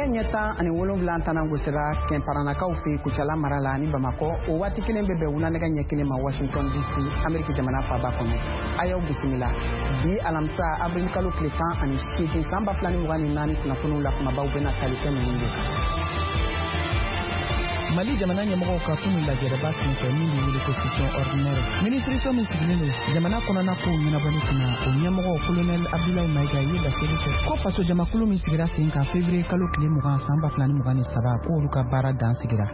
Nɛgɛ ɲɛ 17 tana gosira Kɛnparanakaw fɛ Kucala mara la ani Bamakɔ. O waati kelen bɛ bɛn wula nɛgɛ ɲɛ 1 ma Washington DC, Ameriki jamana faaba kɔnɔ. A y'aw bisimila bi alamisa avril kalo tile 18 san 2024 kunnafoniw la, kumabaw bɛna tali kɛ ninnu de kan. Mali jamana ɲɛmɔgɔw ka kunu lajɛrɛba senfɛ min bɛ wele ko session ordinaire, minisiriso min sigilen don jamana kɔnɔna kow ɲɛnabɔli kunna, o ɲɛmɔgɔ Colonel Abdoulaye Maïga ye laseli kɛ ko fasojamakulu min sigira sen kan février kalo tile 20 san 2023, k'olu ka baara dan sigira.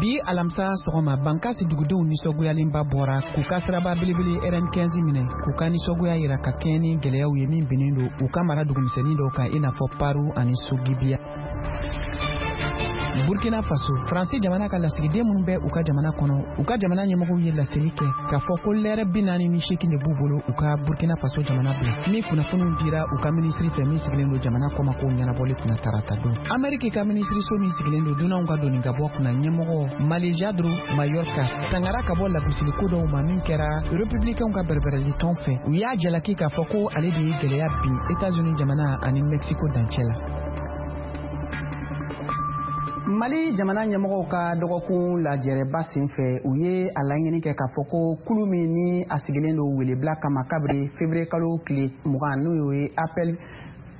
Bi alamisa sɔgɔma, Bankasi dugudenw nisɔngoyalenba bɔra k'u ka siraba belebele RN15 minɛ k'u ka nisɔngoya yira ka kɛɲɛ ni gɛlɛyaw ye min binnen don u ka mara dugumisɛnnin dɔw kan, i n'a fɔ Paru ani Sogibiya. Burkina Faso, Faransi jamana ka lasigiden minnu bɛ u ka jamana kɔnɔ, u ka jamana ɲɛmɔgɔw ye laseli kɛ k'a fɔ ko lɛrɛ 48 de b'u bolo u ka Burkina Faso jamana bila, ni kunnafoniw dira u ka minisiri fɛ min sigilen don jamana kɔmakow ɲɛnabɔli kunna tarata don. Ameriki ka minisiriso min sigilen don dunanw ka doni ka bɔ kunna ɲɛmɔgɔ Alejandro Mayorkas tangara ka bɔ lagosiliko dɔw ma min kɛra Republicainw ka bɛrɛbɛrɛli tɔn fɛ. U y'a jalaki k'a fɔ ko ale de ye gɛlɛya bin États-Unis jamana ani Mexico dancɛ la. Mali jamana ɲɛmɔgɔw ka dɔgɔkun lajɛrɛba senfɛ, u ye a laɲini kɛ k'a fɔ ko kulu min ni a sigilen don welebila kama kabiri février kalo tile 20, n'o ye appel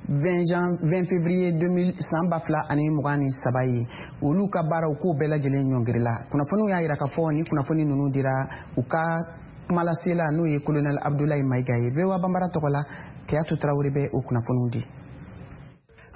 20 jan 20 février 2000 san 2023 ye, olu ka baaraw k'o bɛɛ lajɛlen ɲɔngirila. Kunnafoniw y'a yira k'a fɔ ni kunnafoni ninnu dira u ka kumalasela, n'o ye Colonel Abdoulaye Maïga ye. VOA Banbara tɔgɔ la, Keyatu Tarawele bɛ o kunnafoniw di.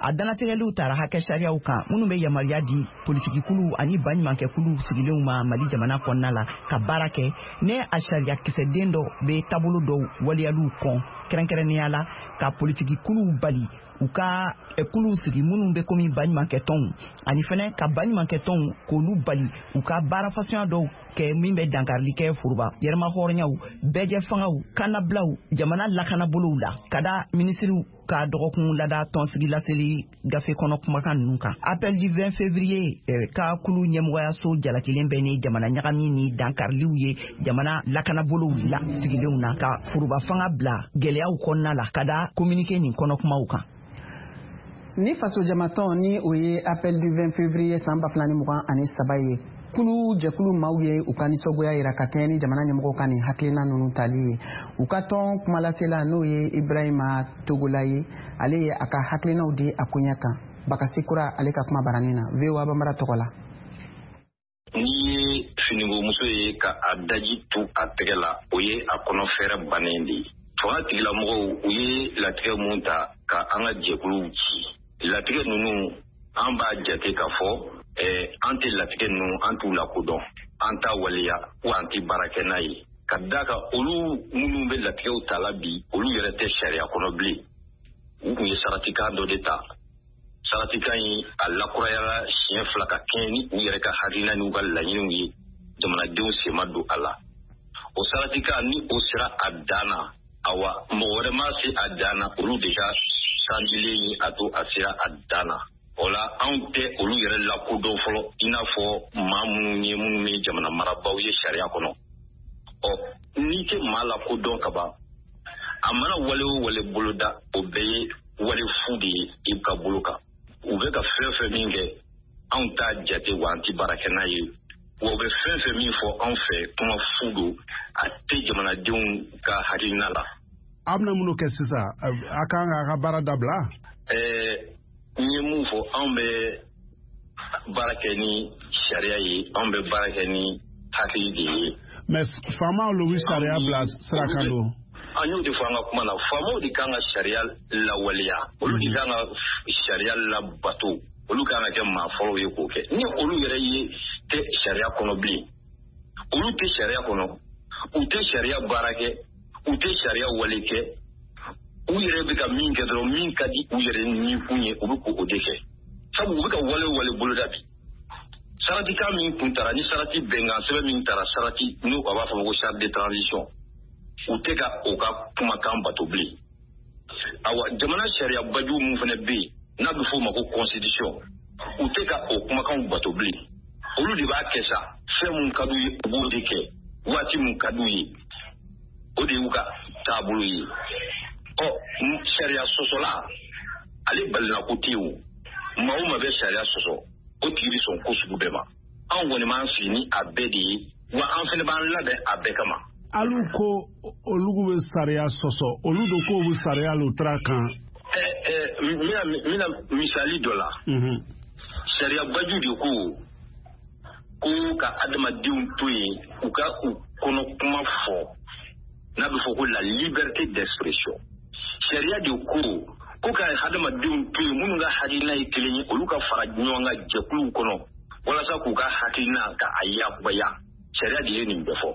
A danatigɛliw tara hakɛ sariyaw kan minnu bɛ yamaruya di politikikuluw ani baɲumankɛkuluw sigilenw ma Mali jamana kɔnɔna la ka baara kɛ, ne a sariya kisɛden dɔ bɛ taabolo dɔw waleyaliw kɔn, kɛrɛnkɛrɛnnenya la ka politikikuluw bali u ka kuluw sigi minnu bɛ komi baɲumankɛtɔnw, ani fɛnɛ ka baɲumankɛtɔnw k'olu bali u ka baara fasuguya dɔw kɛ min bɛ dankarili kɛ foroba yɛrɛmahɔrɔnyaw, bɛɛjɛ fangaw, kannabilaw, jamana lakanabolow la. Ka da minisiriw ka dɔgɔkun lada tɔnsigi laseli gafe kɔnɔ kumakan ninnu kan, appel du 20 février ka kulu ɲɛmɔgɔyaso jalakilen bɛ ni jamana ɲagami ni dankariliw ye jamana lakanabolow la sigilenw na, ka foroba fanga bila gɛlɛyaw kɔnɔna la, ka da communiqué nin kɔnɔ kumaw kan. Ni fasojamatɔn ni o ye appel du 20 février san 2023 ye, kulu jɛkulu maaw ye u ka nisɔngoya yira ka kɛɲɛ ni jamana ɲɛmɔgɔw ka nin hakilina ninnu tali ye. U ka tɔn kumalasela, n'o ye Ibrahima Togola ye, ale ye a ka hakilinaw di a koɲɛ kan Bakasi Kura ale ka kuma baranin na VOA Banbara tɔgɔ la. N'i ye finikomuso ye ka a daji tu a tɛgɛ la, o ye a kɔnɔ fɛrɛ bannen de ye. Fanga tigilamɔgɔw, u ye latigɛ mun ta ka an ka jɛkuluw ci, latigɛ ninnu, an b'a jate k'a fɔ an tɛ latigɛ ninnu, an t'u lakodɔn, an t'a waleya wa an tɛ baara kɛ n'a ye, ka da kan olu minnu bɛ latigɛw ta la bi, olu yɛrɛ tɛ sariya kɔnɔ bilen. U tun ye saratikan dɔ de ta. Saratikan in, a lakurayala siɲɛ fila ka kɛɲɛ ni u yɛrɛ ka hakilina n'u ka laɲiniw ye. Jamanadenw sen ma don a la. O saratikan ni o sera a dan na, awa, mɔgɔ wɛrɛ ma se a dan na, olu de ka sanjilen ye a to a sera a dan na. O la, anw tɛ olu yɛrɛ lakodɔn fɔlɔ i n'a fɔ maa minnu ye, minnu ye jamana marabaaw ye sariya kɔnɔ. Ɔ, n'i tɛ maa lakodɔn ka ban, a mana wale o wale boloda, o bɛɛ ye wale fu de ye i ka bolo kan. U bɛ ka fɛn fɛn min kɛ, anw t'a jate wa an tɛ baara kɛ n'a ye. Wa u bɛ fɛn fɛn min fɔ anw fɛ, kuma fu don, a tɛ jamanadenw ka hakilina la. A bɛna minnu kɛ sisan, a kan k'a ka baara dabila? N ye mun fɔ, anw bɛ baara kɛ ni sariya ye, anw bɛ baara kɛ ni hakili de ye. Mais faamaw lo bɛ sariya bila sira kan don. An y'o de fɔ an ka kuma na. Faamaw de kan ka sariya lawaleya, olu de kan ka sariya labato, olu kan ka kɛ maa fɔlɔw ye k'o kɛ. Ni olu yɛrɛ ye tɛ sariya kɔnɔ bilen, olu tɛ sariya kɔnɔ, u tɛ sariya baara kɛ, u tɛ sariya wale kɛ, u yɛrɛ bɛ ka min kɛ dɔrɔn, min ka di u yɛrɛ ni kun ye, u bɛ k'o de kɛ. Sabu u bɛ ka wale o wale boloda bi, saratikan min kun tara ni sarati bɛnkan sɛbɛn min tara, sarati n'u a b'a fɔ ma ko charte de transition, u tɛ ka o ka kumakan bato bilen. Awa, jamana sariya baju mun fana bɛ yen n'a bɛ f'o ma ko constitution, u tɛ ka o kumakanw bato bilen. Olu de b'a kɛ sa, fɛn mun ka d'u ye, u b'o de kɛ waati mun ka d'u ye, o de y'u ka taabolo ye. Ɔ, sariya sɔsɔla Ale balinako tɛ yen, o maa o maa bɛ sariya sɔsɔ, o tigi bɛ sɔn ko sugu bɛɛ ma. Anw kɔni b'an sigi ni a bɛɛ de ye, wa an fana b'an labɛn a bɛɛ kama. Alu ko olu bɛ sariya sɔsɔ, olu do k'o bɛ sariya lo tara kan. N bɛna misali dɔ la. Sariya baju de ko ko ka adamadenw to yen u ka u kɔnɔ kuma fɔ, n'a bɛ fɔ ko la liberté d'expression. Sariya de ko ko ka hadamadenw to yen, minnu ka hakilina ye kelen ye, olu ka fara ɲɔgɔn kan jɛkuluw kɔnɔ walasa k'u ka hakilina ka a yakubaya. Sariya de ye nin bɛɛ fɔ.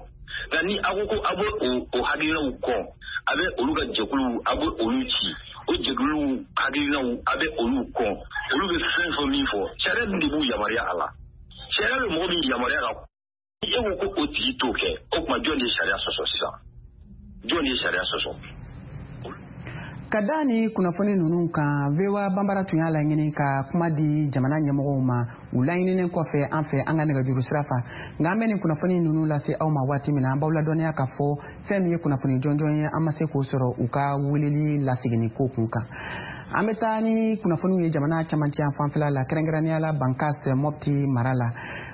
Nka ni aw ko ko aw bɛ o hakilinaw kɔn, a bɛ olu ka jɛkuluw, a bɛ olu ci, o jɛkuluw hakilinaw, a bɛ olu kɔn, olu bɛ fɛn fɛn min fɔ, sariya dun de b'u yamaruya a la. Sariya bɛ mɔgɔ min yamaruya ka, e ko ko o tigi t'o kɛ, o tuma jɔn de ye sariya sɔsɔ sisan? Jɔn de ye sariya sɔsɔ? Ka da ni kunnafoni ninnu kan, VOA Banbara tun y'a laɲini ka kuma di jamana ɲɛmɔgɔw ma u laɲininen kɔfɛ an fɛ an ka nɛgɛjuru sira fɛ. Nka an bɛ nin kunnafoni ninnu lase aw ma waati min na, an b'aw ladɔnniya k'a fɔ fɛn min ye kunnafoni jɔnjɔn ye, an ma se k'o sɔrɔ u ka weleli laseginni ko kun kan. An bɛ taa ni kunnafoniw ye jamana camancɛ fanfɛla la, kɛrɛnkɛrɛnnenya la Bankas Mopti mara la.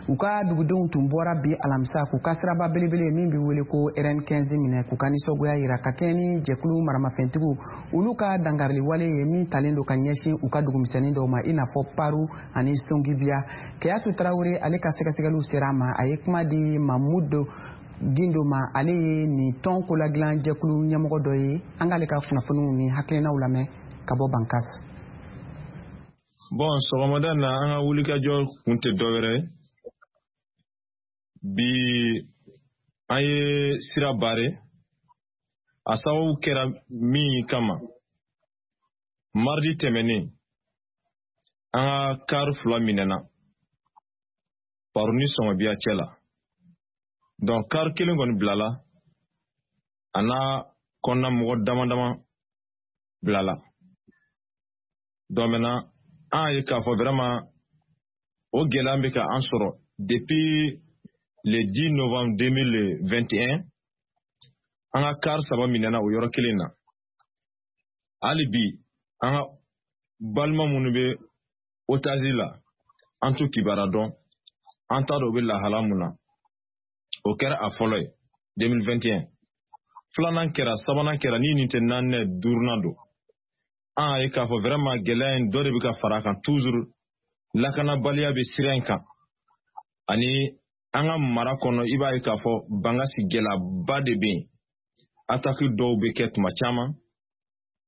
U ka dugudenw tun bɔra bi alamisa k'u ka siraba belebele min bɛ wele ko RN15 minɛ, k'u ka nisɔngoya yira ka kɛɲɛ ni jɛkulu maramafɛntigiw olu ka dankarili wale ye min talen don ka ɲɛsin u ka dugumisɛnnin dɔw ma, i n'a fɔ Paru ani Songibiya. Keyatu Tarawele, ale ka sɛgɛsɛgɛliw sera a ma, a ye kuma di Mamudu Gindo ma, ale ye nin tɔn koladilan jɛkulu ɲɛmɔgɔ dɔ ye. An k'ale ka kunnafoniw ni hakilinaw lamɛn ka bɔ Bankas. Bon, sɔgɔmada na, an ka wulikajɔ kun tɛ dɔwɛrɛ ye. Bi, an ye sira bare. A sababu kɛra min kama, mardi tɛmɛnen, an ka kari 2 minɛna Paru ni Sɔngɔbiya cɛ la. Donc kari kelen kɔni bilala, a n'a kɔnɔna mɔgɔ dama dama bilala. Donc maintenant, an ye k'a fɔ vraiment o gɛlɛya bɛ ka an sɔrɔ depuis le 10 novembre 2021. An ka kari 3 minɛna o yɔrɔ kelen na. Hali bi, an ka balima minnu bɛ otage la, an t'u kibaruya dɔn, an t'a dɔn u bɛ lahala mun na. O kɛra a fɔlɔ ye 2021. Filanan kɛra, sabanan kɛra, ni nin tɛ naaninan, duurunan don. An y'a ye k'a fɔ vraiment gɛlɛya in dɔ de bɛ ka fara a kan toujours. Lakanabaliya bɛ sira in kan ani an ka mara kɔnɔ. I b'a ye k'a fɔ Bankasi gɛlɛyaba de bɛ yen. Attaque dɔw bɛ kɛ tuma caman,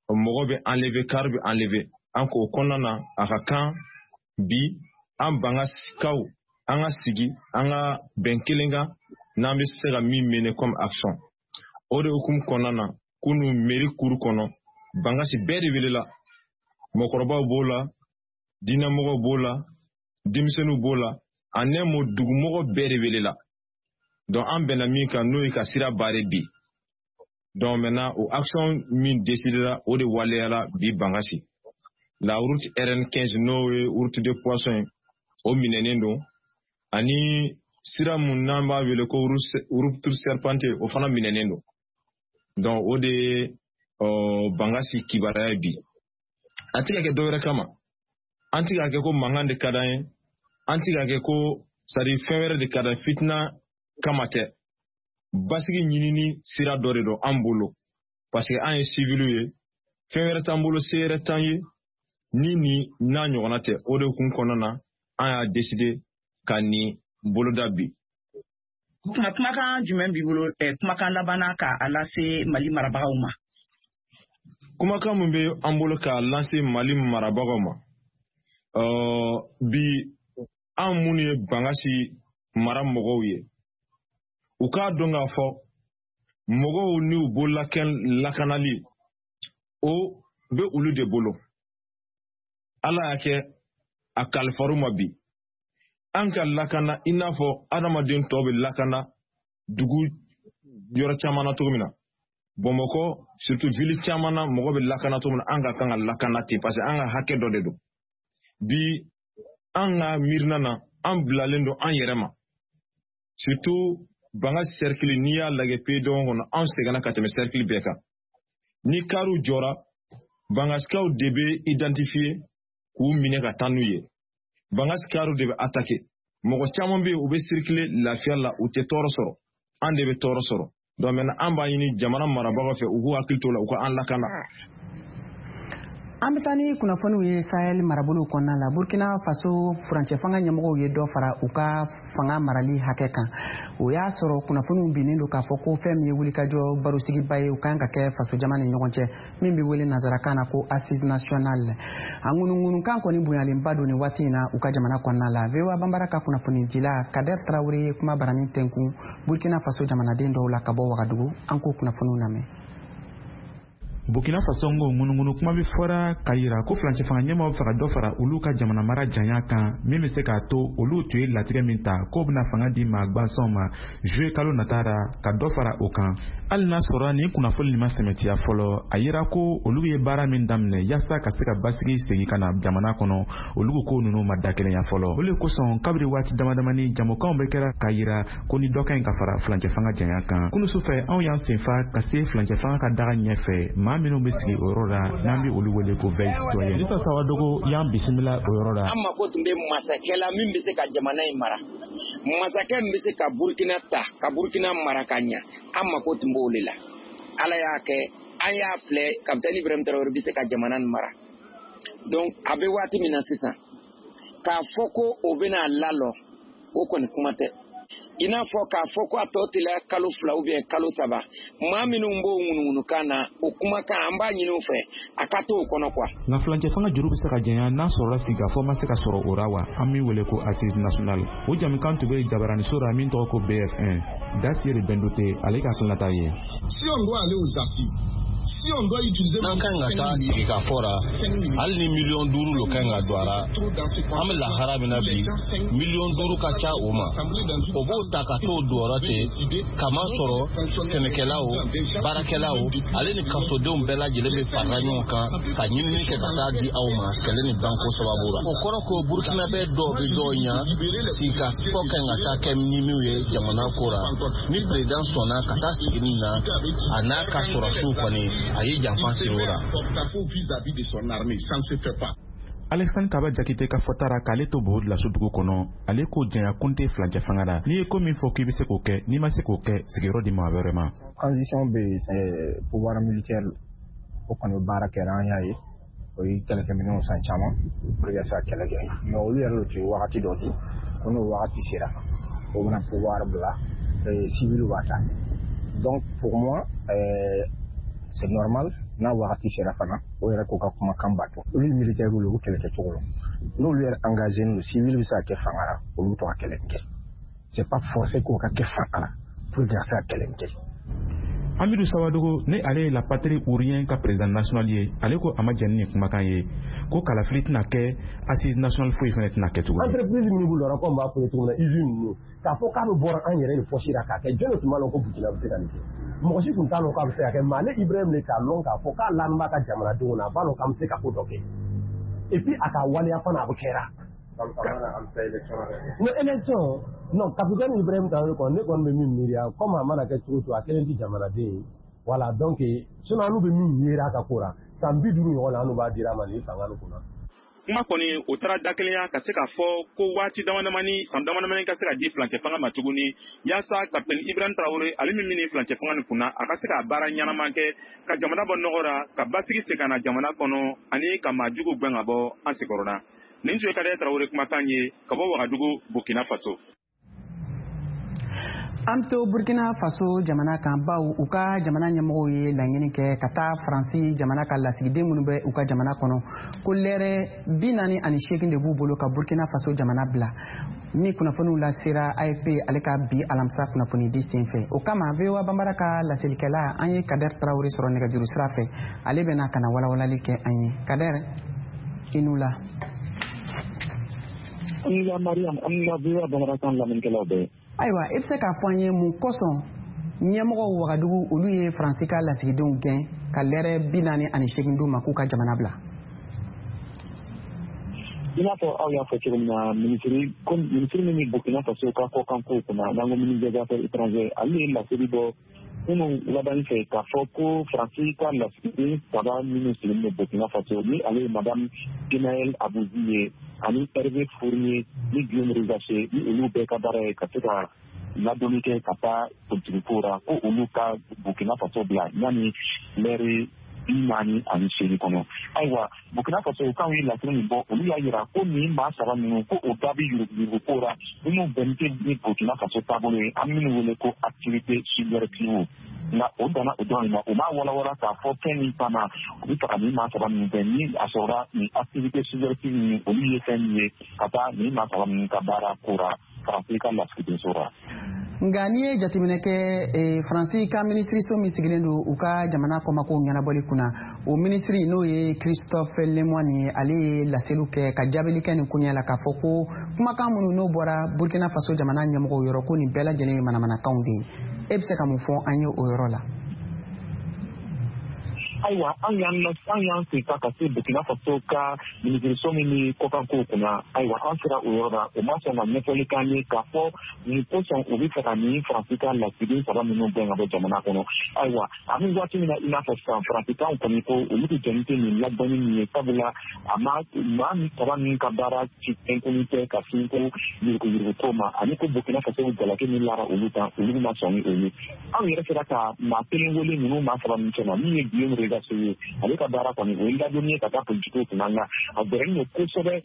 mɔgɔ bɛ enlever, car bɛ enlever. An k'o kɔnɔna na, a ka kan bi an Bangasikaw an ka sigi, an ka bɛn kelen kan n'an bɛ se ka min mener comme action. O de hukumu kɔnɔna na, kunu mairie cour kɔnɔ, Bankasi bɛɛ de welela. Mɔgɔkɔrɔbaw b'o la, diinɛmɔgɔw b'o la, denmisɛnninw b'o la, en un mot, dugumɔgɔ bɛɛ de welela. Donc an bɛnna min kan, n'o ye ka sira bare bi. Donc maintenant, o action min décidera, o de waleyala bi Bankasi. La route RN15, n'o ye route de poisson ye, o minɛnen don, ani sira mun n'an b'a wele ko route serpentée, o fana minɛnen don. Donc o de ye Bankasi kibaruya ye bi. An tɛ ka kɛ dɔwɛrɛ kama, an tɛ ka kɛ ko mankan de ka d'an ye, an tɛ ka kɛ ko c'est à dire fɛn wɛrɛ de ka d'an ye, fitina kama tɛ. Basigi ɲinini sira dɔ de don an bolo, parce que an ye civiliw ye, fɛn wɛrɛ t'an bolo, se wɛrɛ t'an ye ni nin n'a ɲɔgɔnna tɛ. O de kun kɔnɔna na, an y'a décider ka nin boloda bi. Kuma kumakan jumɛn b'i bolo, kumakan labanna, ka a lase Mali marabagaw ma? Kumakan min bɛ an bolo k'a lase Mali marabagaw ma bi, an minnu ye Bankasi mara mɔgɔw ye, u k'a dɔn k'a fɔ mɔgɔw n'u bololakɛn lakanali, o bɛ olu de bolo. Ala y'a kɛ a kalifar'u ma bi an ka lakana i n'a fɔ adamaden tɔw bɛ lakana dugu yɔrɔ caman na cogo min na. Bamakɔ surtout, ville caman na, mɔgɔ bɛ lakana cogo min na, an ka kan ka lakana ten, parce que an ka hakɛ dɔ de don. Bi, an ka miirina na, an bilalen don an yɛrɛ ma, surtout Banga cercle. N'i y'a lajɛ pays dɔgɔn kɔnɔ, an sɛgɛnna ka tɛmɛ cercle bɛɛ kan. Ni kariw jɔra, Bangasikaw de bɛ identifier k'u minɛ ka taa n'u ye. Bangasikaw de bɛ attaquer. Mɔgɔ caman bɛ yen, u bɛ circuler lafiya la, u tɛ tɔɔrɔ sɔrɔ. An de bɛ tɔɔrɔ sɔrɔ. Donc maintenant an b'a ɲini jamana marabagaw fɛ, u k'u hakili to la, u ka an lakana. An bɛ taa ni kunnafoniw ye Sahel marabolow kɔnɔna la. Burkina Faso furancɛ fanga ɲɛmɔgɔw ye dɔ fara u ka fanga marali hakɛ kan. O y'a sɔrɔ kunnafoniw binnen don k'a fɔ ko fɛn min ye wulikajɔ barosigiba ye, u kan ka kɛ fasojama ni ɲɔgɔn cɛ, min bɛ wele nansarakan na ko assise nationale. A ŋunuŋunukan kɔni bonyalenba don nin waati in na u ka jamana kɔnɔna la. VOA Banbara ka kunnafonidila Kader Traoré ye kuma barani tɛnkun Burkina Faso jamanaden dɔw la ka bɔ Wagadugu. An k'o kunnafoniw lamɛn. Burkina Faso ngo ŋunuŋunu kuma bɛ fɔra k'a yira ko furancɛ fanga ɲɛmaaw bɛ fɛ ka dɔ fara olu ka jamana mara janya kan, min bɛ se k'a to olu tun ye latigɛ min ta k'o bɛna fanga di maa gansanw ma juillet kalo nata ra, ka dɔ fara o kan. Hali n'a sɔrɔ nin kunnafoni nin ma sɛmɛtiya fɔlɔ, a yira ko olu ye baara min daminɛ yaasa ka se ka basigi segin ka na jamana kɔnɔ, olu ko ninnu ma dakelenya fɔlɔ. O le kosɔn, kabiri waati dama damani, jamukanw bɛ kɛra k'a yira ko ni dɔ ka ɲi ka fara furancɛ fanga janya kan. Kunu sufɛ, anw y'an senfa ka se furancɛ fanga ka daga ɲɛfɛ, maa minnu bɛ sigi o yɔrɔ la, n'an bɛ olu wele ko veille citoyenne. Lisa Sawadogo y'an bisimila o yɔrɔ la. An mako tun bɛ masakɛ la min bɛ se ka jamana in mara, masakɛ min bɛ se ka Burkina ta ka Burkina mara ka ɲa. An mako tun b'o de la. Ala y'a kɛ, an y'a filɛ, Capitaine Ibrahim Traoré bɛ se ka jamana in mara. Donc a bɛ waati min na sisan, k'a fɔ ko o bɛna lalɔ, o kɔni kuma tɛ. I n'a fɔ k'a fɔ ko a tɔ teliya kalo 2 ou bien kalo 3, maa minnu b'o ŋunuŋunukan na, o kumakan an b'a ɲini u fɛ a ka to o kɔnɔ quoi. Nka furancɛ fanga juru bɛ se ka janya n'a sɔrɔla sigikafɔ ma se ka sɔrɔ o ra wa, an min wele ko assise nationale. O jamukan tun bɛ jabaraniso la min tɔgɔ ko BF1. Dasiri Bendote, ale ka hakilinata ye. Si on doit aller aux assises, si on doit utiliser n'an kan ka taa sigikafɔ ra, hali ni miliyɔn 5 lo kan ka don a ra, an bɛ lahara min na bi, miliyɔn 5 ka ca o ma. O b'o ta ka t'o don ten, kamasɔrɔ sɛnɛkɛlaw, baarakɛlaw, ale ni kasodenw bɛɛ lajɛlen bɛ farala ɲɔgɔn kan ka ɲinini kɛ ka taa di aw ma kɛlɛ ni banko sababu la. O kɔrɔ ko Burkinabɛ dɔw bɛ dɔw ɲa sigikafɔ kan ka taa kɛ ni minnu ye jamana ko ra. Ni président sɔnna ka taa sigi nin na, a n'a ka sɔrɔsiw kɔni, a ye janfa siri o la. Vis-à-vis de son armée, ça ne se fait pas. Alexandre Kaba Jakite ka fɔta ra, k'ale to Bobo Dioulasso dugu kɔnɔ, ale ko janya kun tɛ furancɛ fanga la. N'i ye ko min fɔ k'i bɛ se k'o kɛ, n'i ma se k'o kɛ, sigiyɔrɔ di maa wɛrɛ ma. Transition bɛ yen, c'est pouvoir militaire, o kɔni baara kɛra, an y'a ye, o ye kɛlɛkɛminɛnw san caman pour que ka se ka kɛlɛ kɛ, mais olu yɛrɛ de tun ye wagati dɔ di ko n'o wagati sera, o bɛna pouvoir bila, civil b'a ta. Donc pour moi, c'est normal, n'a wagati sera fana, o yɛrɛ k'u ka kumakan bato. Olu ye militaire ye, u kɛlɛ kɛcogo la, n'olu yɛrɛ engagé don, civil bɛ se ka kɛ fanga la, olu bɛ to ka kɛlɛ kɛ. C'est pas forcé k'o ka kɛ fanga la pour que ka se ka kɛlɛ kɛ. Amidou Sawadogo, ni ale ye La Patrie ou Rien ka président national ye, ale ko a ma jɛn ni nin kumakan ye, ko kalafili tɛna kɛ, assise nationale foyi fana tɛna kɛ tuguni. Entreprise minnu b'u lɔra, comme b'a fɔ ye cogo min na, usine ninnu, k'a fɔ k'a bɛ bɔra an yɛrɛ de poche la k'a kɛ, jɔn de tun b'a lɔn ko Burkina bɛ se ka nin kɛ? Mɔgɔ si tun t'a lɔn k'a bɛ se ka kɛ, mais ale Ibrahim de k'a lɔn k'a fɔ k'a lani b'a ka jamanadenw na, a b'a lɔn k'an bɛ se ka ko dɔ kɛ, et puis a ka waleya fana a bɛ kɛra. Non, élection, non, capitaine Ibrahim Traoré kɔni, ne kɔni bɛ min miiriya, comme a mana kɛ cogo o cogo, a kelen tɛ jamanaden ye. Voilà, donc sinon an bɛ min yera a ka ko la, san 50 ɲɔgɔn na, an b'a dira a ma nin fanga nin kunna. Kuma kɔni o taara dakelenya ka se k'a fɔ ko waati damadamani, san damadamani ka se ka di furancɛ fanga ma tuguni, yaasa Capitaine Ibrahim Traoré, ale min bɛ furancɛ fanga nin kunna, a ka se ka baara ɲɛnama kɛ ka jamana bɔ nɔgɔ la, ka basigi segin ka na jamana kɔnɔ, ani ka maa jugu gɛn ka bɔ an senkɔrɔla. Nin tun ye Kader Traoré kumakan ye ka bɔ Wagadugu, Burkina Faso. An bɛ to Burkina Faso jamana kan, baw u ka jamana ɲɛmɔgɔw ye laɲini kɛ ka taa Faransi jamana ka lasigiden minnu bɛ u ka jamana kɔnɔ, ko lɛrɛ 48 de b'u bolo ka Burkina Faso jamana bila. Ni kunnafoniw lasera AFP ale ka bi alamisa kunnafonidi senfɛ. O kama, VOA Banbara ka laselikɛla, an ye Kader Traoré sɔrɔ nɛgɛjuru sira fɛ, ale bɛna ka na walawalali kɛ an ye. Kader, i n'u la. An ni la Mariam, an ni la VOA Bambara kan lamɛnnikɛlaw bɛɛ. Ayiwa, i bɛ se k'a fɔ an ye mun kosɔn ɲɛmɔgɔw Wagadugu, olu ye Faransi ka lasigidenw gɛn ka lɛrɛ 48 d'u ma k'u ka jamana bila? I n'a fɔ aw y'a fɔ cogo min na, minisiri min bɛ Burkina Faso ka kɔkankow kunna, n'an ko ministre des affaires étrangères, ale ye laseli bɔ Kunun wuladanin fɛ, k'a fɔ ko Faransi ka lasigiden saba minnu sigilen don Burkina Faso, ni ale ye Madame Genaël Abbouzi ye, ani Hervé Fournier ni Guillaume Rizaché, ni olu bɛɛ ka baara ye ka se ka ladonni kɛ ka taa politiki ko ra, ko olu ka Burkina Faso bila yanni lɛri 48 kɔnɔ. Ayiwa, Burkina Faso kanw ye laseli min bɔ, olu y'a yira ko nin maa saba ninnu, ko o da bɛ yuruguyurugu ko ra minnu bɛnnen tɛ ni Burkina Faso taabolo ye, an minnu wele ko activité subversive. Nka o danna o dɔrɔn de ma, u m'a walawala k'a fɔ fɛn min kama u bɛ fɛ ka nin maa saba ninnu kɛ, ni a sɔrɔla nin activité subversive ninnu, olu ye fɛn min ye ka taa nin maa saba ninnu ka baara ko ra Faransi ka lasigidenso ra. Nka n'i ye jateminɛ kɛ, Faransi ka minisiriso min sigilen don u ka jamana kɔmakow ɲɛnabɔli kunna, o minisiri, n'o ye Christophe Lemoine ye, ale ye laseliw kɛ ka jaabili kɛ nin koɲɛ la, k'a fɔ ko kumakan minnu n'o bɔra Burkina Faso jamana ɲɛmɔgɔw yɔrɔ, ko nin bɛɛ lajɛlen ye manamanakanw de ye. E bɛ se ka mun fɔ an ye o yɔrɔ la? Ayiwa, an y'an sen ta ka se Burkina Faso ka minisiriso min bɛ kɔkankow kunna. Ayiwa, an sera o yɔrɔ la, o ma sɔn ka ɲɛfɔli k'an ye k'a fɔ nin kosɔn u bɛ fɛ ka nin Faransi ka lasigiden saba minnu gɛn ka bɔ jamana kɔnɔ. Ayiwa, an bɛ waati min na, i n'a fɔ sisan, Faransikanw kɔni ko olu bɛ jɛni tɛ nin ladɔnni min ye, sabula a ma maa min saba min ka baara ci fɛn tɛ ka sin ko yuruguyurugu ko ma, ani ko Burkina Faso jalaki min lara olu kan, olu ma sɔn ni o ye. Anw yɛrɛ sera ka maa kelen wele ninnu maa saba min cɛma, min ye Guillaume Rigasso ye. Ale ka baara kɔni, o ye ladonni ye ka taa politikiw kunna, nka a gɛrɛlen don kosɛbɛ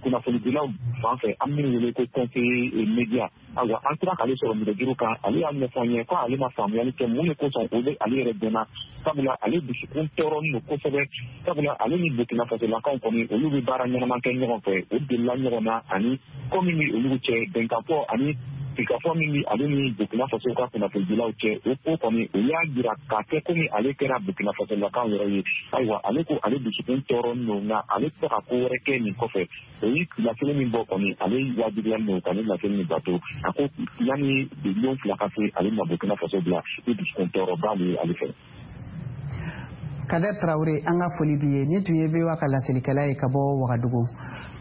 kunnafonidilaw fan fɛ, an minnu wele ko conseiller média. Ayiwa, an sera k'ale sɔrɔ nɛgɛjuru kan. Ale y'a ɲɛfɔ an ye ko ale ma faamuyali kɛ mun de kosɔn o bɛ ale yɛrɛ dɛmɛ, sabula ale dusukun tɔɔrɔlen don kosɛbɛ, sabula ale ni Burkina Fasolakaw kɔni, olu bɛ baara ɲɛnama kɛ ɲɔgɔn fɛ, o delila ɲɔgɔn na, ani ko min bɛ olu cɛ, bɛnkanfɔ ani sigikafɔ min bɛ ale ni Burkina Faso ka kunnafonidilaw cɛ, o ko kɔni, o y'a jira k'a kɛ komi ale kɛra Burkina Fasolakaw yɛrɛ ye. Ayiwa, ale ko ale dusukun tɔɔrɔlen don, nka ale tɛ se ka ko wɛrɛ kɛ nin kɔfɛ. O ye laseli min bɔ kɔni, ale wajibiyalen don ka nin laseli min bato. A ko yanni lon 2 ka se, ale ma Burkina Faso bila ni dusukun tɔɔrɔba de ye ale fɛ. Kader Traoré, an ka foli b'i ye. Ni tun ye VOA ka laselikɛla ye ka bɔ Wagadugu.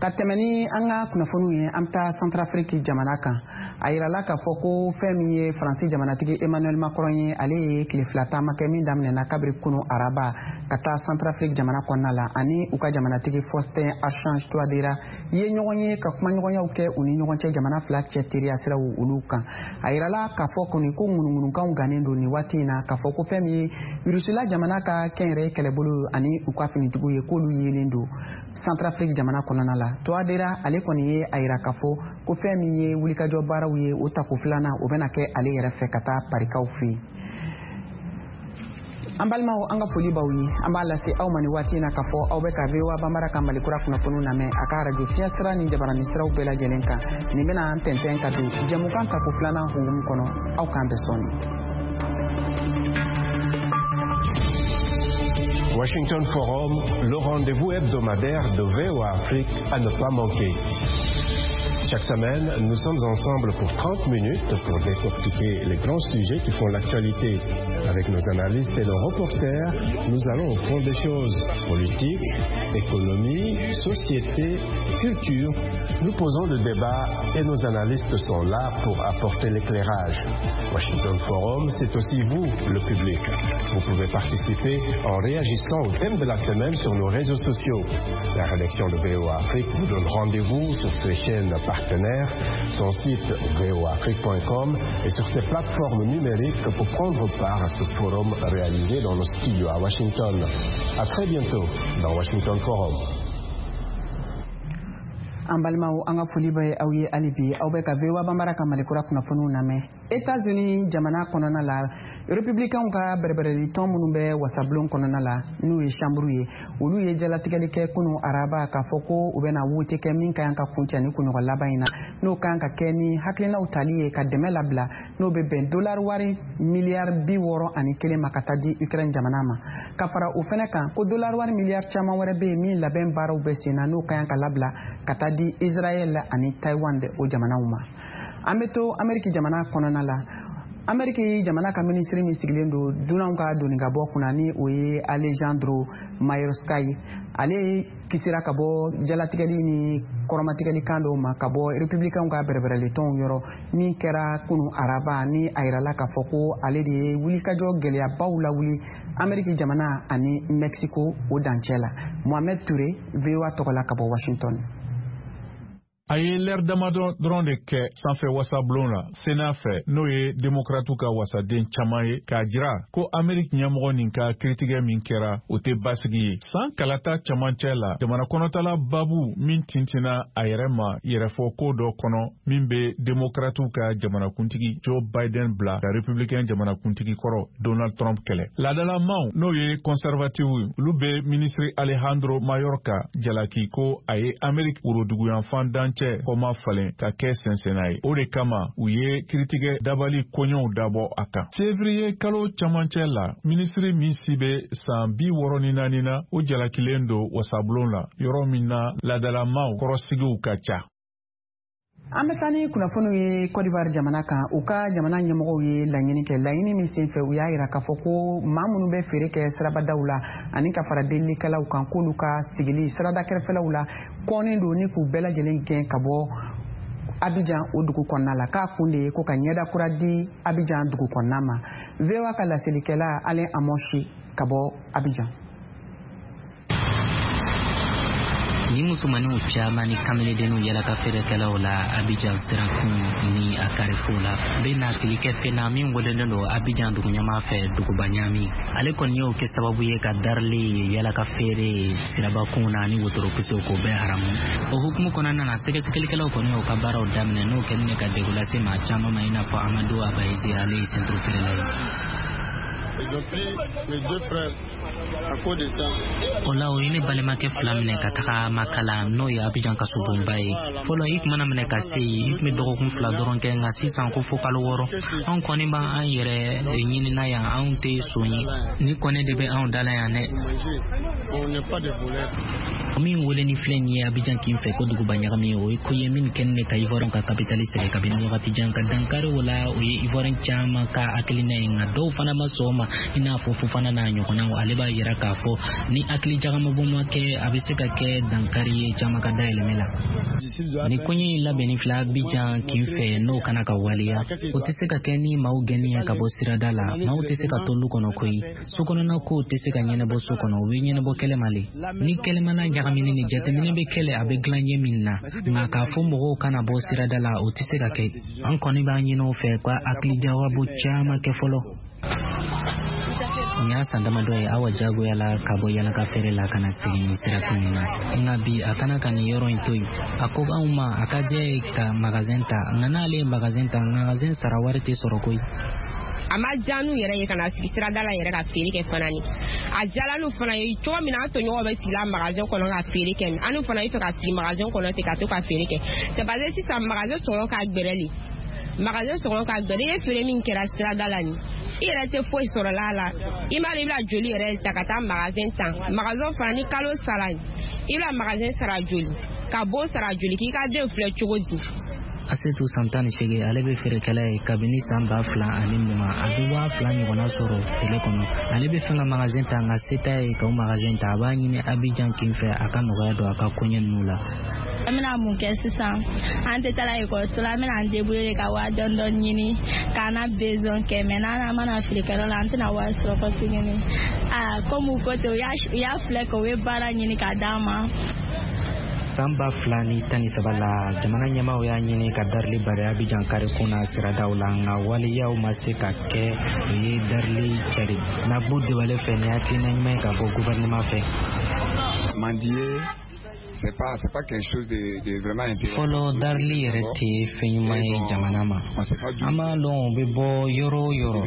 Ka tɛmɛ ni an ka kunnafoniw ye, an bɛ taa Centrafrique jamana kan. A yirala k'a fɔ ko fɛn min ye Faransi jamanatigi Emmanuel Macron ye, ale ye tile 2 taama kɛ min daminɛna kabiri kunu araba ka taa Centrafrique jamana kɔnɔna la, ani u ka jamanatigi Faustin Archange Touadera ye ɲɔgɔn ye ka kumaɲɔgɔnyaw kɛ u ni ɲɔgɔn cɛ, jamana fila cɛ teriya siraw olu kan. A yirala k'a fɔ kɔni ko ŋunuŋunukanw gannen don nin waati in na, k'a fɔ ko fɛn min ye Irusila jamana ka kɛnyɛrɛye kɛlɛbolo ani u ka finitigiw ye, k'olu yelen don Centrafrique jamana kɔnɔna la. Touadera, ale kɔni ye a yira k'a fɔ ko fɛn min ye wulikajɔ baaraw ye, o tako filanan, o bɛna kɛ ale yɛrɛ fɛ ka taa Parikaw fɛ yen. An balimaw, an ka foli b'aw ye. An b'a lase aw ma ni waati in na k'a fɔ aw bɛ ka VOA Banbara ka Malikura kunnafoniw lamɛn a ka arajo fiɲɛ sira ni jabarani siraw bɛɛ lajɛlen kan. Nin bɛna an tɛntɛn ka don jɛmukan tako filanan hukumu kɔnɔ. Aw k'an bɛn sɔɔni. Washington Forum, le rendez-vous hebdomadaire de VOA Afrique à ne pas manquer. Chaque semaine, nous sommes ensemble pour 30 minutes pour décortiquer les grands sujets qui font l'actualité. Avec nos analystes et nos reporters, nous allons au fond des choses. Politique, économie, société, culture. Nous posons le débat et nos analystes sont là pour apporter l'éclairage. Washington Forum, c'est aussi vous, le public. Vous pouvez participer en réagissant au thème de la semaine sur nos réseaux sociaux. La rédaction de VOA Afrique vous donne rendez-vous sur ses chaînes partenaires, son site voafrique.com et sur ses plateformes numériques pour prendre part à ce forum réalisé dans nos studios à Washington. À très bientôt dans Washington Forum. An balimaw, an ka foli bɛ aw ye hali bi. Aw bɛ ka VOA Banbara ka Malikura kunnafoniw lamɛn. Etats-Unis jamana kɔnɔna la, Républicainw ka bɛrɛbɛrɛli tɔn minnu bɛ wasabulon kɔnɔna la, n'u ye chambre ye, olu ye jalatigɛli kɛ kunu araba k'a fɔ ko u bɛna wote kɛ min ka kan ka kuncɛ ni kunɲɔgɔn laban in na, n'o kan ka kɛ ni hakilinaw tali ye ka dɛmɛ labila, n'o bɛ bɛn dolari wari miliyari 61 ma ka taa di Ukraine jamana ma. Ka fara o fɛnɛ kan, ko dolari wari miliyari caman wɛrɛ bɛ yen min labɛn baaraw bɛ sen na, n'o ka kan ka labila ka taa di Israël ani Taiwan de o jamanaw ma. An bɛ to Ameriki jamana kɔnɔna la. Ameriki jamana ka minisiri min sigilen don dunanw ka doni ka bɔ kunna, ni o ye Alejandro Mayorkas ye, ale kisira ka bɔ jalatigɛli ni kɔrɔmatigɛli kan dɔw ma ka bɔ Republicainw ka bɛrɛbɛrɛlitɔnw yɔrɔ, min kɛra kunu araba, ni a yirala k'a fɔ ko ale de ye wulikajɔ gɛlɛyabaw lawuli Ameriki jamana ani Mexico o dancɛ la. Mohamed Touré, VOA tɔgɔ la ka bɔ Washington. A ye lɛri damadɔ dɔrɔn de kɛ sanfɛ wasabulon la, Sena fɛ, n'o ye Demokratiw ka wasaden caman ye, k'a jira ko Ameriki ɲɛmɔgɔ nin ka kiritigɛ min kɛra, o tɛ basigi ye. San kalata camancɛ la, jamana kɔnɔtala babu min tintinna a yɛrɛ ma yɛrɛfɔ ko dɔ kɔnɔ min bɛ Demokratiw ka jamanakuntigi Joe Biden bila ka Republicain jamanakuntigi kɔrɔ Donald Trump kɛlɛ. Laadalamaw, n'o ye conservative, olu bɛ minisiri Alejandro Mayorkas jalaki ko a ye Ameriki woroduguyanfan dancɛ kɔma falen ka kɛ sɛnsɛnna ye. O de kama u ye kiritigɛ dabali koɲɛw dabɔ a kan. Février kalo camancɛ la, minisiri min si bɛ san 64 na, o jalakilen don wasabulon la, yɔrɔ min na laadalamaw kɔrɔsigiw ka ca. An bɛ taa ni kunnafoniw ye Côte d'Ivoire jamana kan. U ka jamana ɲɛmɔgɔw ye laɲini kɛ, laɲini min senfɛ u y'a yira k'a fɔ ko maa minnu bɛ feere kɛ sirabadaw la ani ka fara delilikɛlaw kan, k'olu ka sigili sirada kɛrɛfɛlaw la kɔnnen don, ni k'u bɛɛ lajɛlen gɛn ka bɔ Abidjan o dugu kɔnɔna la, k'a kun de ye ko ka ɲɛda kura di Abidjan dugu kɔnɔna ma. VOA ka laselikɛla Alain Amoshi ka bɔ Abidjan. Ni musomaninw caman ni kamaledenninw yala ka feerekɛlaw la Abidjan sirakun ni a carrefour la bɛ nasili kɛ fɛn na min welelen don Abidjan dugu ɲɛmaa fɛ duguba ɲaami. Ale kɔni y'o kɛ sababu ye ka darili yala ka feere sirabakunw na ani wotorokisew k'o bɛɛ haramu. O hukumu kɔnɔna na, sɛgɛsɛgɛlikɛlaw kɔni y'o ka baaraw daminɛ, n'o kɛlen de ka degun lase maa caman ma, i n'a fɔ Amadu Abayizi, ale ye senturu feerela ye. Ils ont pris mes deux frères à cause de ça. O la, o ye ne balimakɛ fila minɛ ka taga Makala, n'o ye Abijan kasobonba ye. Fɔlɔ, i tun mana minɛ ka se yen, i tun bɛ dɔgɔkun 2 dɔrɔn kɛ, nka sisan ko fo kalo 6. Anw kɔni b'an yɛrɛ ɲinina yan, anw tɛ son ye. Ni kɔni de bɛ anw da la yan dɛ. On n'est pas des voleurs. Min wele ni filɛ nin ye Abijan kin fɛ ko duguba ɲagami, o ye ko ye min kɛlen bɛ ka Ivoirien ka kapitali sɛgɛn kabini wagati jan. Ka dankari o la, o ye Ivoirien caman ka hakilina ye, nka dɔw fana ma sɔn o ma, i n'a fɔ Fofana n'a ɲɔgɔnnaw. Ale b'a yira k'a fɔ ni hakili jagamabɔ ma kɛ, a bɛ se ka kɛ dankari ye caman ka dayɛlɛmɛ la. Ni koɲɛ in labɛnni filɛ Abijan kin fɛ, n'o kana ka waleya, o tɛ se ka kɛ ni maaw gɛnni ye ka bɔ sirada la. Maaw tɛ se ka to lu kɔnɔ koyi. So kɔnɔna kow tɛ se ka ɲɛnabɔ so kɔnɔ, u bɛ ɲɛnabɔ kɛlɛma le. Ni kɛlɛmana ɲagamini ni jateminɛ bɛ kɛlɛ, a bɛ dilan ɲɛ min na, nka k'a fɔ mɔgɔw kana bɔ sirada la, o tɛ se ka kɛ. An kɔni b'a ɲini o fɛ ka hakili jagabɔ caman kɛ fɔlɔ. Nin y'a san damadɔ ye Awa jagoya la ka bɔ yalaka feere la ka na sigi nin sirakun in na, nka bi a kana ka nin yɔrɔ in to yen. A ko anw ma a ka diya ye ka magazɛn ta, nka n'ale ye magazɛn ta, magazɛn sara wari tɛ sɔrɔ koyi. A ma diya n'u yɛrɛ ye ka na sigi sirada la yɛrɛ ka feere kɛ fana. Ni a diyala n'u fana ye cogo min na, an tɔɲɔgɔnw bɛ sigi la magasin kɔnɔ ka feere kɛ, an n'u fana bɛ fɛ ka sigi magasin kɔnɔ ten ka to ka feere kɛ. C'est parce que sisan magasin sɔngɔ ka gbɛrɛ le, magasin sɔngɔ ka gbɛrɛ. I ye feere min kɛra sirada la nin, i yɛrɛ tɛ foyi sɔrɔ la la. I m'a dɔn i bɛna joli yɛrɛ ta ka taa magasin ta. Magasin fana, ni kalo sara, i bɛna magasin sara joli, ka bon sara joli, k'i ka den filɛ cogo di? Asetu, san 18, ale bɛ feerekɛla ye kabini san 2020. A bɛ 2000 ɲɔgɔnna sɔrɔ tile kɔnɔ. Ale bɛ fɛ ka magazɛn ta, nka se t'a ye ka o magazɛn ta. A b'a ɲini Abijan kin fɛ a ka nɔgɔya don a ka koɲɛ ninnu la. An bɛna mun kɛ sisan? An tɛ taa ekɔliso la, an bɛna an débrouiller ka wari dɔɔni dɔɔni ɲini k'an na besoin kɛ, mais n'an mana feerekɛyɔrɔ la, an tɛna wari sɔrɔ kɔ tuguni. Aa, komi u ko ten, u y'a filɛ kɛ u ye baara ɲini k'a d'an ma. San 2013 la, jamana ɲɛmaaw y'a ɲini ka darili bari Abijan karikun na siradaw la, nka waleyaw ma se ka kɛ. O ye darili cari Nagbo Debale fɛ, ni hakilina ɲuman ye ka bɔ gouvernement fɛ. Mendier, c'est pas quelque chose de vraiment intéressant. Fɔlɔ, darili yɛrɛ tɛ fɛn ɲuman ye jamana ma. An b'a dɔn o bɛ bɔ yɔrɔ o yɔrɔ,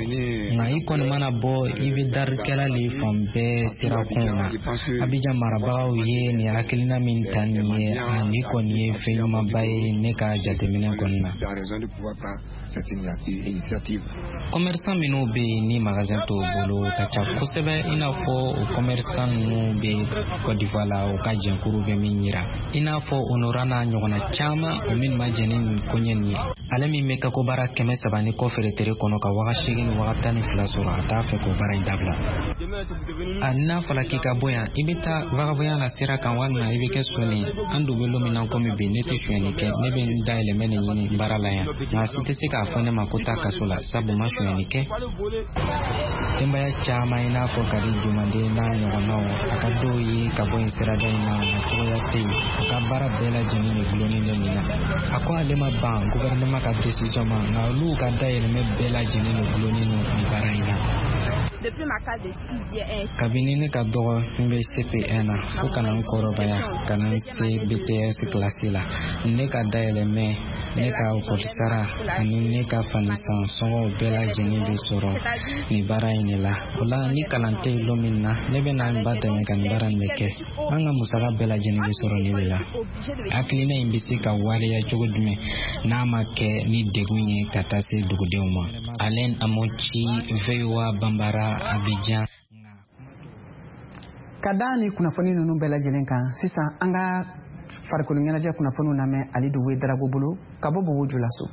nka i kɔni mana bɔ, i bɛ darikɛla le fan bɛɛ sirakunw na. Abijan marabagaw ye nin hakilina min ta nin ye, a nin kɔni ye fɛn ɲumanba ye ne ka jateminɛ kɔni na. Tu as raison de pouvoir prendre cette initiative. Commerçant minnu bɛ yen ni magasin t'o bolo ka ca kosɛbɛ, i n'a fɔ o commerçant ninnu bɛ Côte d'Ivoire la, u ka jɛnkuru bɛ min yira, i n'a fɔ Honora n'a ɲɔgɔnna caman, o minnu ma jɛn ni nin koɲɛ nin ye. Ale min bɛ kakobara 300 ni kɔ feere tere kɔnɔ ka 8000 ni 12000 sɔrɔ, a t'a fɛ k'o baara in dabila. A n'a fɔra k'i ka bɔ yan, i bɛ taa vagabɔnya la sira kan walima i bɛ kɛ sɔnni ye. An dun bɛ lon min na komi bi, ne tɛ sonyɛni kɛ, ne bɛ n dayɛlɛmɛ de ɲini baara la yan, nka si tɛ se k'a fɔ ne ma ko taa kaso la, sabu ma sonyɛni kɛ. Denbaya caman i n'a fɔ Kadi Jumande n'a ɲɔgɔnnaw, a ka dɔw ye ka bɔ yen sirada in na, nka cogoya tɛ yen, u ka baara bɛɛ lajɛlen de gulonnen bɛ nin na. A ko ale ma ban gouvernement ka décision ma, nka olu ka dayɛlɛmɛ bɛɛ lajɛlen de gulonnen don nin baara in na. Kabini ne ka dɔgɔ, n bɛ CP1 na fo ka na n kɔrɔbaya ka na n se BTS kilasi la, ne ka dayɛlɛmɛ, ne ka ekɔli sara ani ne ka fanisan sɔngɔw bɛɛ lajɛlen bɛ sɔrɔ nin baara in de la. O la, ni kalan tɛ yen lon min na, ne bɛ na n ba dɛmɛ ka nin baara in bɛ kɛ. An ka musaka bɛɛ lajɛlen bɛ sɔrɔ nin de la. Hakilina in bɛ se ka waleya cogo jumɛn n'a ma kɛ ni degun ye ka taa se dugudenw ma? Alain Amochi, VOA Bambara, Abidjan. Ka da ni kunnafoni ninnu bɛɛ lajɛlen kan, sisan an ka farikolo ɲɛnajɛ kunnafoniw lamɛn Alidu Wedarago bolo ka bɔ Bobo Julaso.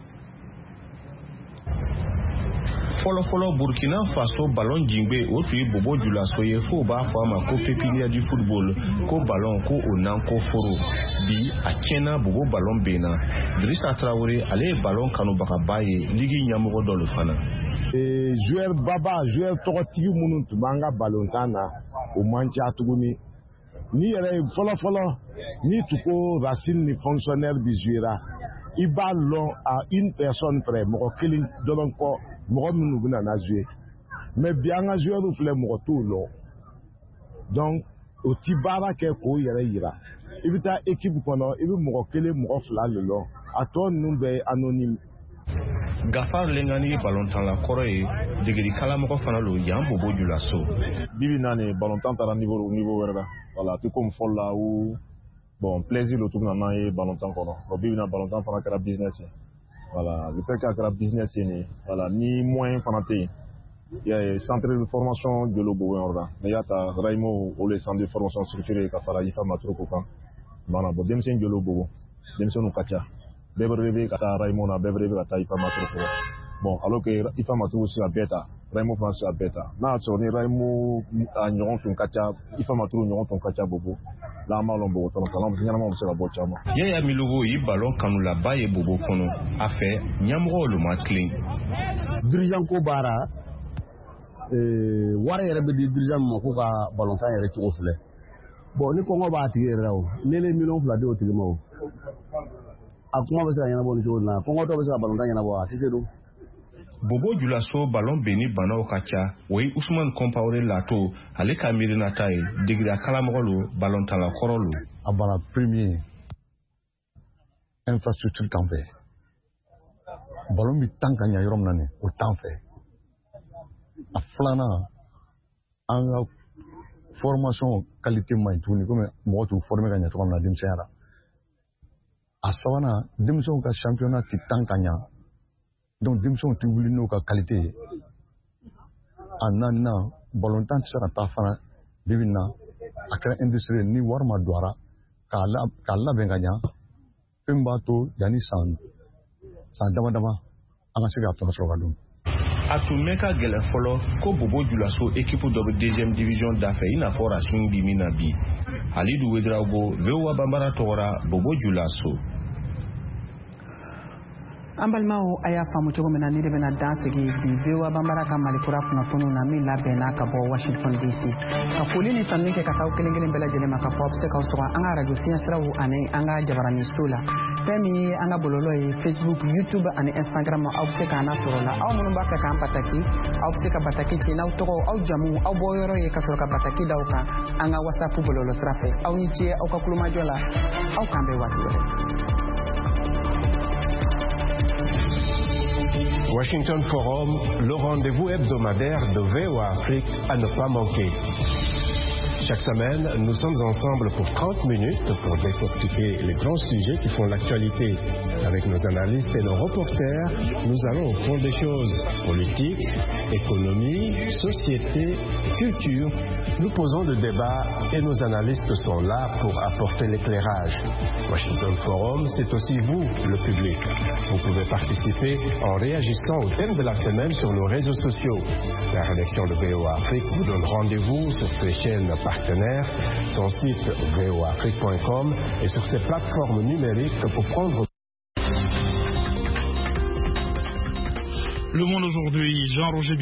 Fɔlɔfɔlɔ, Burkina Faso balon jingbe, o tun ye Bobo Julaso ye, f'o b'a fɔ a ma ko pépinière du football, ko balon ko o nan ko foro. Bi a tiɲɛna, Bobo balon benna. Drissa Traoré, ale ye balon kanubagaba ye, ligi ɲɛmɔgɔ dɔ lo fana. Joueur baba, joueur tɔgɔtigi minnu tun b'an ka balontan na, o man ca tuguni. Ni yɛrɛ ye fɔlɔ fɔlɔ, n'i tun ko Racing ni Fonctionnaire bi jouera, i b'a lɔn à une personne près, mɔgɔ kelen dɔrɔn kɔ, mɔgɔ minnu bɛna na jouer. Mais bi, an ka joueur filɛ, mɔgɔ t'o lɔn. Donc o ti baara kɛ k'o yɛrɛ yira. I bɛ taa équipe kɔnɔ, i bɛ mɔgɔ kelen, mɔgɔ fila le lɔn, a tɔ ninnu bɛɛ ye anonyme. Gafar Lengani ye balontanla kɔrɔ ye, degeli kalamɔgɔ fana lo yan Bobo Julaso. Bibi na nin, balontan taara niveau wɛrɛ la. Voilà, a tɛ komi fɔlɔ la où bon, plaisir lo tun bɛ na n'an ye balontan kɔnɔ. Bon, bibi na, balontan fana kɛra business ye. Voilà, le fait k'a kɛra business ye nin, voilà, ni moyen fana tɛ yen. I y'a ye, centre de formation jolo Bobo yɔrɔ la, n'i y'a ta Raimo, olu ye centre de formation structuré ka fara Ifa Matroko kan. Voilà, bon, denmisɛnnin jolo Bobo, denmisɛnninw ka ca, bɛɛ bɛ rêver ka taa Raimo na, bɛɛ bɛ rêver ka taa Ifa Matroko. Bon, alors que Ifa Matroko se ka bɛɛ ta, Raimo fana se ka bɛɛ ta. N'a y'a sɔrɔ ni Raimo a ɲɔgɔn tun ka ca, Ifa Matroko ɲɔgɔn tun ka ca Bobo la, an b'a lɔn Bobo tɔnɔ ɲɛnamaw bɛ se ka bɔ caman. Yaya Milogo ye balon kanulaba ye Bobo kɔnɔ. A fɛ, ɲɛmɔgɔw lo ma tilen. Dirigeant ko baara, wari yɛrɛ bɛ di dirigeant min ma k'u ka balontan yɛrɛ cogo filɛ. Bon, ni kɔngɔ b'a tigi yɛrɛ la, o ne ye miliyɔn 2 di o tigi ma, o a kuma bɛ se ka ɲɛnabɔ nin cogo in na? Kɔngɔtɔ bɛ se ka balontan ɲɛnabɔ? A tɛ se don. Bobo Julaso balon benni banaw ka ca. O ye Usman Kɔnpawore Lato, ale ka miirinata ye. Degera kalamɔgɔ lo, balontala kɔrɔ lo. A bana premier, infrastructure t'an fɛ. Balon bɛ tan ka ɲa yɔrɔ min na nin, o t'an fɛ. A filanan, an ka formation qualité man ɲi tuguni, komi mɔgɔ t'u former ka ɲɛ cogo min na denmisɛnya la. A sabanan, denmisɛnw ka championnat tɛ tan ka ɲa, donc denmisɛnw tɛ wuli n'u ka qualité ye. A naaninan, balontan tɛ se ka taa fana. Bibi in na, a kɛra industrie ye. Ni wari ma don a la k'a labɛn ka ɲa, fɛn min b'a to yanni san dama dama an ka se k'a tɔnɔ sɔrɔ ka dun. A tun mɛn ka gɛlɛ fɔlɔ ko Bobo Julaso équipe dɔ bɛ deuxième division dafɛ, i n'a fɔ Racing bi min na bi. Alidu Wedrago, VOA Bambara tɔgɔra, Bobo Julaso. An balimaw, a y'a faamu cogo min na, ne de bɛna dan sigi bi VOA Banbara ka Malikura kunnafoniw na min labɛnna ka bɔ Washington DC. Ka foli ni tanuni kɛ ka taa aw kelen kelen bɛɛ lajɛlen ma, ka fɔ aw bɛ se k'aw sɔgɔ an ka arajo fiɲɛsiraw ani an ka jabaraninso la. Fɛn min ye an ka bɔlɔlɔ ye, Facebook, YouTube ani Instagram, aw bɛ se k'an lasɔrɔ la. Aw minnu b'a fɛ k'an bataki, aw bɛ se ka bataki ci n'aw tɔgɔ, aw jamu, aw bɔyɔrɔ ye, ka sɔrɔ ka bataki da aw kan an ka WhatsApp bɔlɔlɔ sira fɛ. Aw ni ce aw ka kulomajɔ la. Aw k'an bɛn waati wɛrɛ. Washington Forum, le rendez-vous hebdomadaire de VOA Afrique à ne pas manquer. Chaque semaine, nous sommes ensemble pour 30 minutes pour décortiquer les grands sujets qui font l'actualité. Avec nos analystes et nos reporters, nous allons au fond des choses. Politique, économie, société, culture. Nous posons le débat et nos analystes sont là pour apporter l'éclairage. Washington Forum, c'est aussi vous, le public. Vous pouvez participer en réagissant au thème de la semaine sur nos réseaux sociaux. La rédaction de VOA Afrique vous donne rendez-vous sur ses chaînes partenaires, son site voaafrique.com et sur ses plateformes numériques pour prendre. Le Monde aujourd'hui, Jean-Roger.